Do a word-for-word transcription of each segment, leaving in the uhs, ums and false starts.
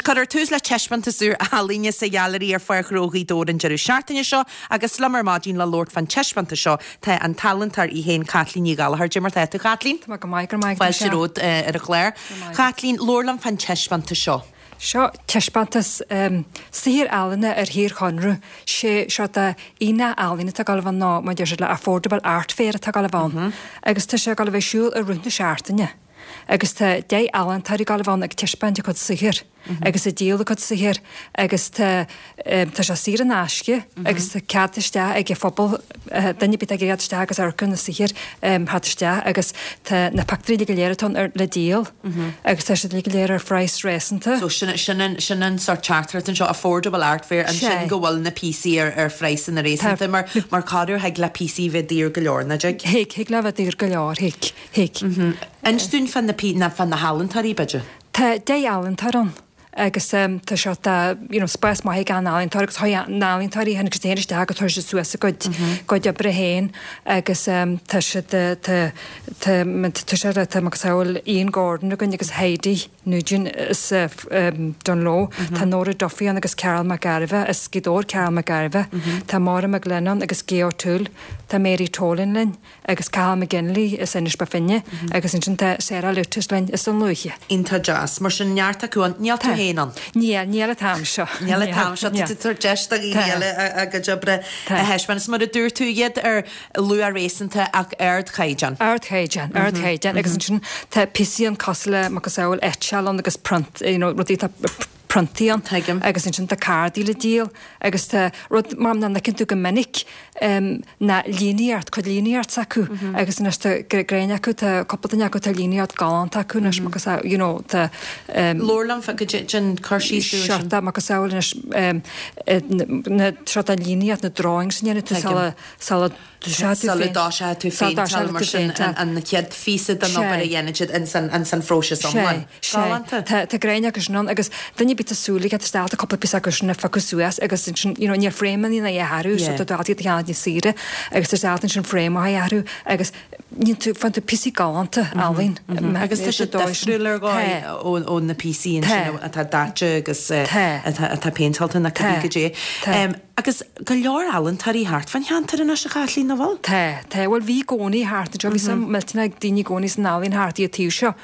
Cuirfear tús le taispeántas úr ealaíne sa Ghailearaí ar Pháirc Ghnó Ghaoth Dobhair an deireadh seachtaine seo agus liom ar maidin le labhairt fán taispeántas seo tá an t-ealaíontóir í féin Caitlín Ní Ghallchóir. Cad é mar tá tú Caitlín? Tá go maith go maith Fáilte romhat ar an chlár. Caitlín, labhair liom fán taispeántas seo. Seo taispeántas um, saothar ealaíne ar shaorchonradh sé seo de aonach ealaíne atá ag gabháil a bheith ann ná mar deir siad le affordable art fair atá ag gabháil a bheith ann. Agus tá sé ag gabháil a bheith ar siúl i rith na seachtaine. Agus tá deich ealaíontóirí ag gabháil a bheith ann ag taispeáint a gcuid saothair agus ag díol a gcuid saothair agus tá um, tá sé saor in aisce agus tá cead isteach ag an phobal uh, duine ar bith ag iarraidh isteach agus amharc ar na saothair um, theacht isteach agus tá na pictiúirí go léir atá ar le díol agus tá siad go léir ar phraghas réasúnta. So sin sin an sin an sort teachtaireacht anseo affordable art fair an Sé. sin go bhfuil na píosaí ar ar phraghas réasúnta mar mar corruair thig le píosaí bheith daor go leor na dtig. Thig thig le bheith daor go leor thig thig. Inis dúinn fan na pí na fan na healaíontóirí b'fhéidir. Tá deich ealaíontóir ann agus um, tá seo tá you know, spás maith ag an ealaíontóir agus chuaigh na healaíontóirí tháinig siad féin isteach agus tabhair siad suas a gcuid gcuid oibre féin agus um, tá siad tá tá tá sé tá macasamhail Ian Gordon againn agus Heidi Nugent is uh, um, Dungloe Tá Nora Duffy ann agus Carol McGarvey is Gaoth Dobhair Carol McGarvey Tá Maura McGlennon agus Gay O'Toole Tá Mary Tolan linn agus Cathal McGinley is Inis Bó Finne agus ansin tá Sarah Lutus linn is an Lúiche. Iontach deas mar sin neart acu ann níl tú féin ann. Níl níl an t-am seo. Níl an t-am seo tú deis do dhaoine eile a gcuid oibre a thaispeáint mar a dúirt tú iad ar luach réasúnta ach ardchaighdeán. Ardchaighdeán, ardchaighdeán agus ansin tá píosaí ann cosúil le macasamhail eitseáil ann agus print, you know, rudaí tá priontaí ann Tuigim. agus ansin tá cárdaí le díol agus tá rud mar nach bhfeiceann tú go minic um, na líníocht cuid líníocht acu agus anois tá gréin acu tá cúpla duine acu tá líníocht galánta acu anois agus you know, tá um, Labhair liom go den cur síos dúinn sin. Seo macasamhail anois um, na seo an líníocht na drawings sin dhéanamh tú Tuigim. sula sula Sula dtoiseoidh tú féinteáil mar sin an an chéad phíosa den obair a dhéanann siad in san an san phróiseas iomlán. Galánta. Tá tá gréin agus sin ann agus duine ar bith súil ag státa cúpla píosa acu sin a phiocadh suas agus sin you know, níl frame na dhearú so Yeah. tá tú a cheannach níos saoire agus tá státa sin frame a dhearú agus níl tú faigheann tú píosaí galánta ealaín. Agus tá sé difriúil ar dhóigh ó ó na píosaí sin atá daite agus eh, Tá. atá atá péinteáilte na Tá. cibé goidé. Tá. Um, agus go leor ealaíontóirí thart fan cheantar anois a Chaitlín nach bhfuil? Tá, tá bhfuil bhí gcónaí thart anseo bhí sam millteanach ag daoine i gcónaí san ealaín thart iad taobh seo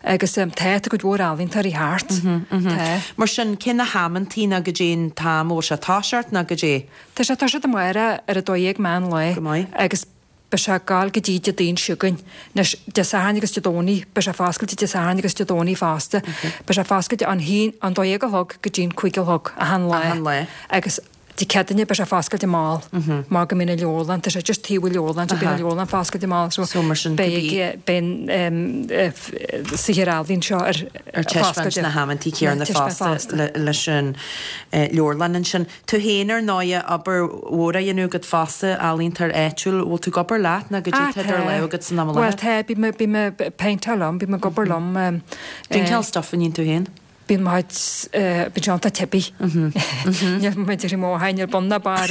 agus um, tá tá go mhór ealaíontóirí thart. Tá. Mar sin cé na hamantaí ná goidé an t-am ó sé toiseacht ná goidé. Tá sé tá sé amárach ar a dó dhéag meán lae Go maith. agus beidh sé ag gabháil go dtí Dé Daoine seo chugainn. Anois Dé Sathairn agus Dé Domhnaigh, beidh sé foscailte Dé Sathairn agus Dé Domhnaigh fosta. Beidh sé foscailte an haon an dó dhéag a chlog go dtí an cúig a chlog achan lá. Achan lá. Agus Dé Céadaoine beidh sé foscailte mall mar go mbíonn an leabharlann tá sé just taobh leabharlann so bíonn an leabharlann foscailte mall so So mar sin beidh beidh saothar ealaíne seo ar ar taispeáint na hamantaí céanna fosta le- leis an eh, leabharlann ansin. Tú féin ar ndóigh obair mhór a dhéanamh agat fosta ealaíontóir áitiúil, bhfuil tú ag obair leat ná goidé tá idir lámha agat san am Well láthair? tá bí bí me péinteáil liom, bím ag obair liom Cén cineál stuff a ndéanann tú féin? Bíonn maid bí seanta tepi. Níl muid ar mó hain bun na bar.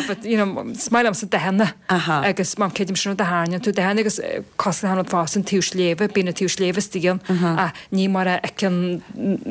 But you know, is maith liomsa dathanna Aha. agus mám céidim sin dathanna tú dathanna agus cosúil le fás an taobh sléibhe, bíonn an taobh sléibhe istigh a ní mar a fheiceann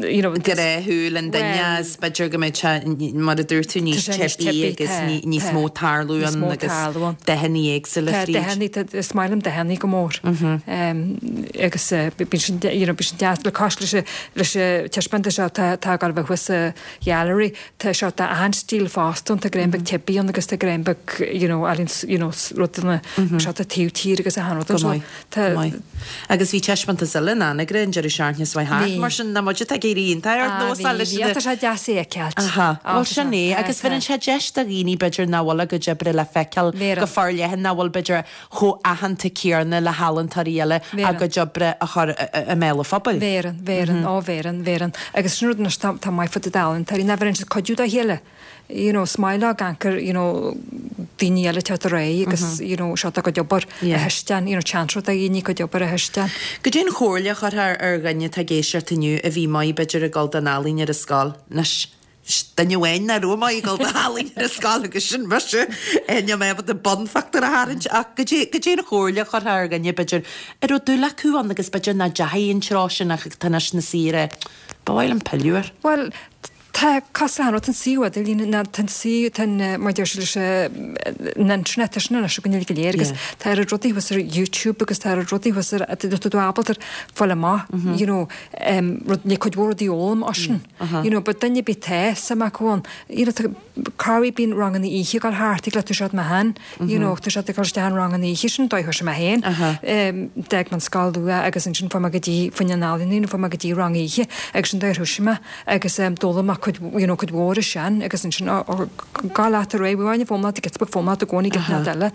you know, Gnáthshúil an duine is b'fhéidir go mbeidh sé mar a dúirt tú níos Tá sé níos teibí teibí, agus tá, ní- níos tá. mó tarlú Níos an mó agus tarlú ann. dathanna éagsúla Tá fríd. dathanna is maith liom dathanna go mór. Um, agus uh, bíonn sin you know, bíonn sin deas le cos leis leis taispeántas seo tá tá ag gabháil a bheith thuas sa gallery tá seo tá an stíl fosta tá greim beag teibí ann agus tá greim beag you know, ealaín you know, rudaí seo tá taobh tír agus a han Go maith, go maith. Agus bhí taispeántas eile in Anagaire an deireadh seachtaine seo thart Bhí. mar sin na muide ag éirí iontach ar nós leis na- Tá sé deas é cealt. Aha, Well sin é agus bheireann sé deis do dhaoine b'fhéidir nach bhfuil a gcuid oibre le feiceáil Bheireann. go forleathan nach bhfuil b'fhéidir chomh aitheanta céanna le healaíontóirí eile a Bheireann. gcuid oibre a chur i mbéal an phobail. Bheireann, bheireann, ó bheireann, bheireann. Agus sin rud anois tá tá maith fá ealaíontóirí ná bheireann siad cuidiú dá chéile. You know, smile ganker, you know, daoine eile teacht ar aghaidh agus, you know, seo a gcuid obair Yeah. a thaispeáint, you know, seans rud a dhaoine cuid obair a thaispeáint. Goidé an chomhairle a chuirfeá ar dhuine atá ag éisteacht inniu a bhí maith b'fhéidir ag dul don ealaín ar an scoil Anois duine amháin nach raibh maith ag dul don ealaín ar an scoil agus sin mise níl mé ábalta bunphictiúr a tharraingt ach goidé goidé an chomhairle a chuirfeá ar dhuine b'fhéidir ar raibh dúil acu ann agus b'fhéidir nach ndeachaigh an treo sin ach tá anois na saoire Ba mhaith liom pilleadh air. Bhuel, tá cosúil le an suíomh idirlín ná tá an suíomh tá an mar deir siad leis an internet tá sin anois againn uilig go léir agus tá oiread rudaí thuas ar YouTube agus tá oiread rudaí thuas ar tá tú ábalta fáil amach you know rud ní cuid mhór rudaí a fhoghlaim as sin you know but duine ar bith tá suim acu ann you know tá corruair bíonn ranganna oíche ag dul thart ag le tú siad mé féin you know tá siad ag dul isteach in ranganna oíche sin dóigh thoisigh mé féin d'fhág mé an scoil luath agus ansin fuair mé go dtí fá choinne an ealaín fuair mé go dtí rang oíche agus sin dóigh ar thoisigh mé agus d'fhoghlaim mé cuid you know cuid mhór ansin agus ansin gá leat ar aghaidh bhain fóm leat gets fóm leat i gcónaí get leat eile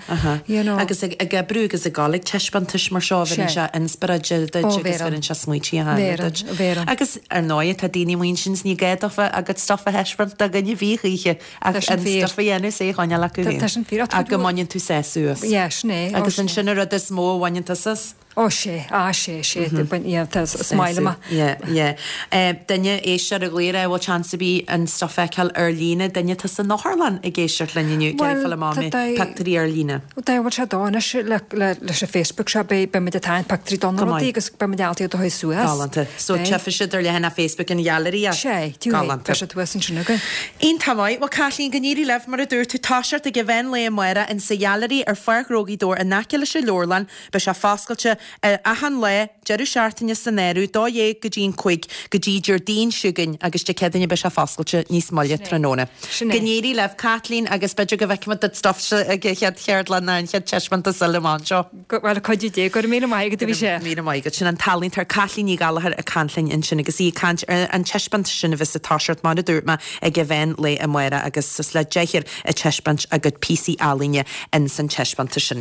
you know. Agus ag ag oibriú agus ag dul ag taispeántais mar seo bheireann sé inspioráid duit agus bheireann sé smaointe a tháinig duit. Agus ar ndóigh tá daoine amuigh ansin is ní gá daofa a gcuid stuif a thaispeáint do dhuine ar bith choíche ach an stuif a dhéanamh is é a choinneáil acu féin. Tá sin fíor. Ach go mbaineann tú sásamh as. Yeah, sin é. Agus ansin an rud is mó a bhaineann tusa as. Ó sé, á sé, sé, yeah, tá smile ma. Yeah, yeah. Duine éisteoir a ghlaoigh a bhfuil seans ar bith an stuif a fheiceáil ar líne, duine atá san otharlann ag éisteacht linn inniu, ag iarraidh fáil amach an mbeidh pictiúirí ar líne. Dá bhfuil sé dó anois le leis an Facebook seo beidh beidh muid ag tarraingt pictiúirí do na rudaí agus beidh muid ábalta iad a chur suas. Galánta. So tchífidh siad ar leathanach Facebook an Ghailearaí. Sé, Galánta. Beidh sé thuas ansin againn. Iontach maith. Bhuel Caitlín, go n-éirí libh mar a dúirt tú, toiseacht ag an mheán lae amárach in sa Ghailearaí ar Pháirc Ghnó Ghaoth Dobhair in aice leis an Leabharlann. Beidh sé foscailte achan lá, deireadh seachtaine san áireamh, dó dhéag go dtí an cúig, go dtí Déardaoin seo chugainn agus Dé Céadaoine beidh sé foscailte níos moille tráthnóna. Go n-éirí libh, Caitlín, agus b'fhéidir go bhfeicfimid do stuff ag an chéad cheardlann ná an chéad taispeántas eile amach anseo. Bhuel, le cuidiú Dé, go raibh míle maith agat a bhí sé. Míle maith agat. Sin an t-ealaíontóir Caitlín Ní Ghallchóir ag caint linn ansin agus í ag caint ar an taispeántas sin a bheas ag toiseacht mar a dúirt mé ag an mheán lae amárach agus suas le deichniúr ag taispeáint a gcuid píosaí ealaíne ins an taispeántas sin.